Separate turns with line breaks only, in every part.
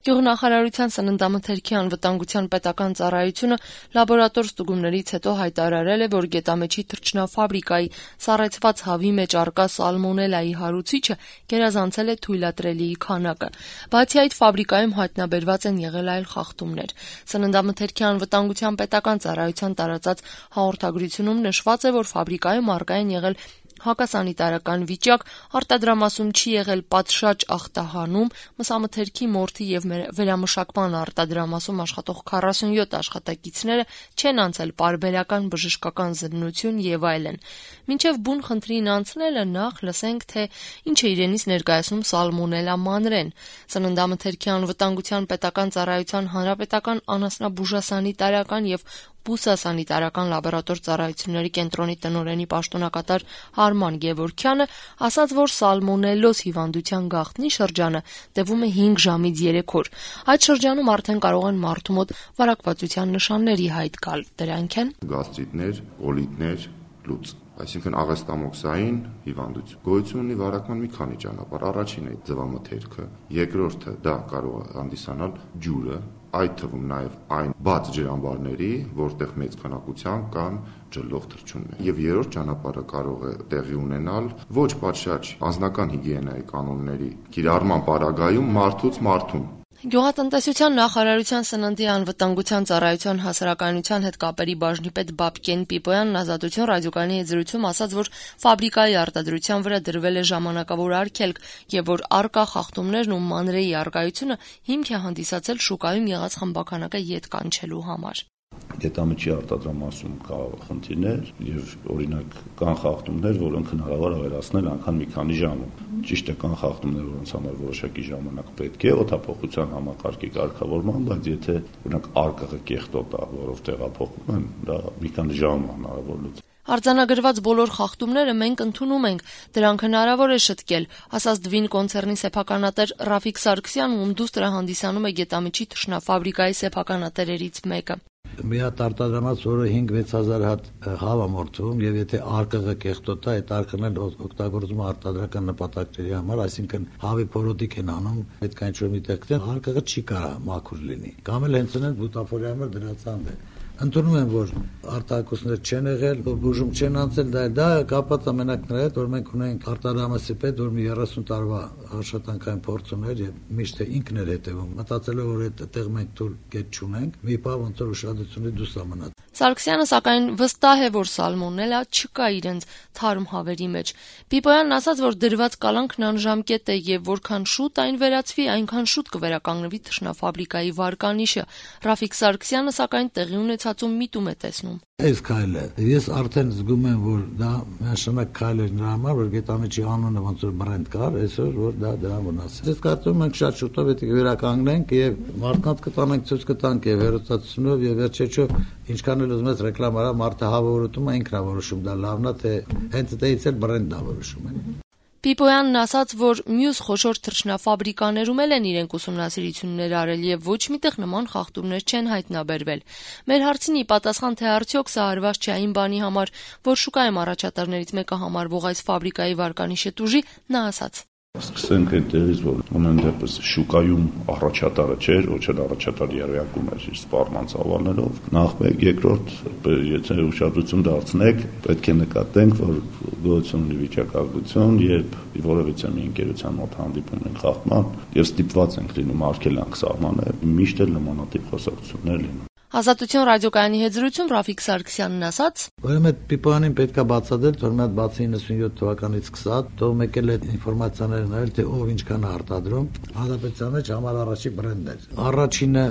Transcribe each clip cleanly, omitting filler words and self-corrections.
Գյուղնախարարության սննդամթերքի անվտանգության պետական ծառայությունը լաբորատոր ստուգումներից հետո հայտարարել է, որ գետամեջի թռչնաֆաբրիկայի սառեցված հավի մեջ առկա սալմոնելայի հարուցիչը գերազանցել է թույլատրելիի քանակը։ Բացի այդ, ֆաբրիկայում հայտնաբերված են եղել այլ խախտումներ։ Սննդամթերքի անվտանգության պետական ծառայության տարածած հաղորդագրությունում նշված է, որ ֆաբրիկայում առկա են եղել հակասանիտարական վիճակ, արտադրամասում չի եղել պատշաճ ախտահանում, մսամթերքի մորթի եւ վերամշակման արտադրամասում աշխատող 47 աշխատակիցները չեն անցել պարբերական բժշկական զննություն եւ այլն։ Մինչեւ բուն խնդրին անցնելը նախ լսենք, թե ինչ է իրենից ներկայացնում սալմոնելա մանրեն։ Սննդամթերքի անվտանգության պետական ծառայության հանրապետական անասնաբուժասանիտարական եւ բուսասանիտարական լաբորատոր ծառայությունների կենտրոնի տնօրենի պաշտոնակատար Արման Գևորգյանը ասաց, որ սալմոնելոզ հիվանդության գաղտնի շրջանը տևում է 5 ժամից 3 օր։ Այդ շրջանում արդեն կարող են մարդու մոտ վարակվածության նշանների հայտ գալ։ Դրանք են
գաստրիտներ, կոլիտներ, լուծ, այսինքն աղեստամոքսային հիվանդություն։ Գոյություն ունի վարակման մի քանի ճանապարհ։ Առաջինը ձվամթերքը, երկրորդը դա կարող է հանդիսանալ ջուրը, այդ թվում նաև այն բաց ջրամբարների, որտեղ մեծ քանակությամբ կան ջլող թռչուններ։ Եվ երրորդ ճանապարհը կարող է տեղի ունենալ ոչ պատշաճ անձնական հիգիենայի կանոնների կիրառման պարագայում մարդուց մարդուն։
Գյուղատնտեսության նախարարության սննդի անվտանգության ծառայության հասարակայնության հետ կապերի բաժնի պետ Բաբկեն Պիպոյանն Ազատություն ռադիոկայանի հետ զրույցում ասաց, որ ֆաբրիկայի արտադրության վրա դրվել է ժամանակավոր արգելք եւ որ առկա խախտումներն ու մանրեի առկայությունը հիմք է հանդիսացել շուկայում եղած խմբականակը ետ կանչելու համար։
Գետամեջի արտադրամասում կա խնդիրներ եւ օրինակ կան խախտումներ, որոնք հնարավոր է վերացնել անգամ մի քանի ժամում։ Ճիշտ է, կան խախտումներ, որոնց համար որոշակի ժամանակ պետք է օդափոխության համակարգի կարգավորման, բայց եթե օրինակ արկղը կեղտոտ է, որով տեղափոխում են, դա մի քանի ժամ հնարավոր լուծել։
Արձանագրված բոլոր խախտումները մենք ընդունում ենք, դրանք հնարավոր է շտկել, ասաց Դվին կոնցեռնի սեփականատեր Ռաֆիկ Սարգսյանը, ում դուստրը հանդիսանում է գետամեջի թռչնաֆաբրիկայի սեփականատերերից մեկը։
Մի հատ արտադրամաց, որը 5-6000 հատ հավ է մորթվում, եւ եթե արկղը կեղտոտ է, այդ արկղն էլ օգտագործում է արտադրական նպատակների համար, այսինքն հավի փորոտիկ են անում, պետք է ինչ-որ միտեղ գտեն, արկղը չի կարա մաքուր լինի։ Կամ էլ հենց այնպես բուտաֆորիա համար դրացանդ է։ Ընդունում եմ, որ արտահայտություններ չեն եղել, որ բուժում չեն անցել, դա կապված է մենակ նրա հետ, որ մենք ունենք արտադրամասի պետ, որ մի 30 տարվա աշխատանքային փորձ ուներ եւ միշտ ինքն էր հետևում, մտածելով, որ այդտեղ մենք թույլ կետ չունենք, մի բան ոնց որ ուշադրությունի դուրս է մնաց։
Սարգսյանը սակայն վստահ է, որ սալմոնելա չկա իրենց թարմ հավերի մեջ։ Պիպոյանն ասաց, որ դրված կալանքն անժամկետ է եւ որքան շուտ այն վերացվի, այնքան շուտ կվերականգնվի թռչնաֆաբրիկայի վարկանիշը։ Ռաֆիկ Սարգսյանը սակայն տեղի ունեցածում միտում է տեսնում։
Այս քայլը ես արդեն զգում եմ, որ դա միանշանակ քայլ է նրա համար, որ գետամեջի անունը ոնց որ բրենդ կար, այսօր որ դա դրան վնաս։ Ես կարծում եմ շատ շուտով պետք է վերականգնենք եւ մարդկանց կտանենք ցույց կտանք եւ հերոստատությունով եւ վերջեջով ինչքան էլ ուզում ես ռեկլամ արա, մարդը հավորոտում է ինքն է որոշում, դա լավն է թե հենց այդից էլ բրենդն է որոշում։
Պիպոյանն ասաց, որ մյուս խոշոր թռչնաֆաբրիկաներում էլ են իրենք ուսումնասիրություններ արել եւ ոչ միտեղ նման խախտումներ չեն հայտնաբերվել։ Մեր հարցին ի պատասխան, թե արդյոք սա արված չէ այն բանի համար, որ շուկայում առաջատարներից մեկը համարվող այս ֆաբրիկայի վարկանիշը տուժի, նա ասաց.
Սկսենք այդտեղից, որ ամեն դեպս շուկայում առաջատարը չէր, ոչ էլ առաջատար երևակում էր իր սպառման ծավալներով։ Նախ մեկ, երկրորդ, եթե ուշադրություն դարձնեք, պետք է նկատենք, որ գոյություն ունի վիճակագրություն, երբ որևիցե մի ընկերության մոտ հանդիպում ենք խախտման եւ ստիպված ենք լինում արգելանք սահմանել, միշտ էլ նմանատիպ խոսակցություններ լինում։
Ազատություն ռադիոկայանի հետ զրույցում Ռաֆիկ Սարգսյանն ասաց.
Ուրեմն այդ Պիպոյանին պետքա բացատրել, որ մի հատ բացի 97 թվականից սկսած, թող եկել այդ ինֆորմացիաները նայել, թե ով ինչքան է արտադրում, հանրապետության մեջ համար առաջի բրենդներ։ Առաջինը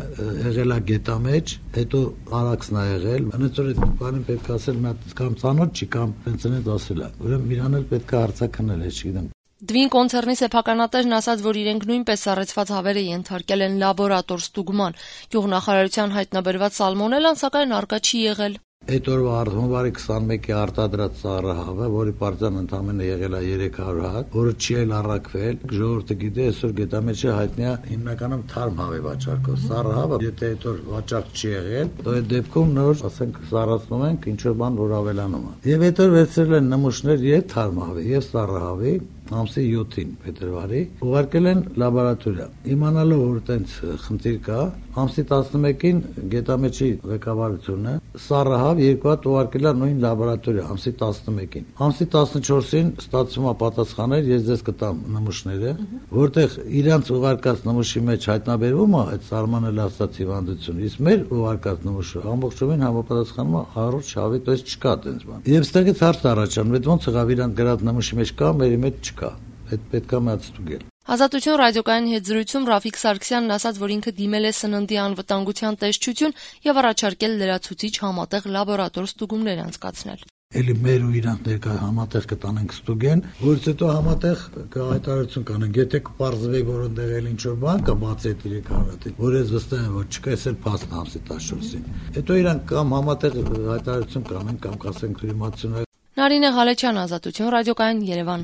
եղել է գետամեջ, հետո Արաքսն է եղել։ Այնպես որ այդ Պիպոյանին պետք է ասել մի հատ կամ ծանոթ չի կամ պենսիոներ ասել է։ Ուրեմն իրան էլ պետք է հարցակնել, չգիտեմ։
Դվին կոնցեռնի սեփականատերն ասաց, որ իրենք նույնպես սառեցված հավերը ենթարկել են լաբորատոր ստուգման։ Գյուղնախարարության հայտնաբերված սալմոնելան սակայն առկա չի եղել։
Այդ օրվա հունվարի 21-ի արտադրած սառահավը, որի պարզան ընդամենը եղել է 300 հատ, որը չի էլ առաքվել, ժողովուրդը գիտե, այսօր գետամեջը հայտնի է հիմնականում թարմ հավի վաճառքով։ Սառահավը, եթե այդ օր վաճառք չի եղել, તો այդ դեպքում նոր, ասենք, սառացնում ենք ինչ որ բան, որ ավելանում է։ Եվ այդ օր վերցրել են նմուշներ եւ թարմ հավի, եւ սառահավի, ամսի 7-ին փետրվարի ուղարկել են լաբորատորիա։ Իմանալով որ այդպես խնդիր կա, ամսի 11-ին Գետամեջի ղեկավարությունը Սարահավ երկու հատ ուղարկել է նույն լաբորատորիա ամսի 11-ին։ Ամսի 14-ին ստացվում է պատասխաներ, ես ձեզ կտամ նմուշները, որտեղ իրանց ուղարկած նմուշի մեջ հայտնաբերվում է այդ սարմանել ասած հիվանդություն, իսկ մեր ուղարկած նմուշը ամբողջովին համապատասխանում է առողջ շավի, то есть չկա այդպես բան։ Եվ ստեղից հարց առաջանում, ոնց եղավ իրանք գրած նմուշի մեջ կա, մերի մեջ չկա։ Այդ պետք է մտածել։
Ազատություն ռադիոկայանի հետ զրույցում Ռաֆիկ Սարգսյանն ասաց, որ ինքը դիմել է սննդի անվտանգության տեսչություն եւ առաջարկել լրացուցիչ համատեղ լաբորատոր ստուգումներ անցկացնել։
Էլի մեր ու իրանք ներկա համատեղ կտանենք ստուգեն, որից հետո համատեղ հայտարարություն կանենք, եթե կպարզվի, որ այնտեղ էլ ինչ-որ բան կա, բացի այդ 300-ից, որ ես վստահ եմ, որ չկա, էս էլ փաստն ամսի 14-ին։ Հետո իրանք կամ համատեղ հայտարարություն կանեն, կամ կասենք իմացություն։
Նարինե Ղալեչյան, Ազատություն ռադիոկայան, Երևան։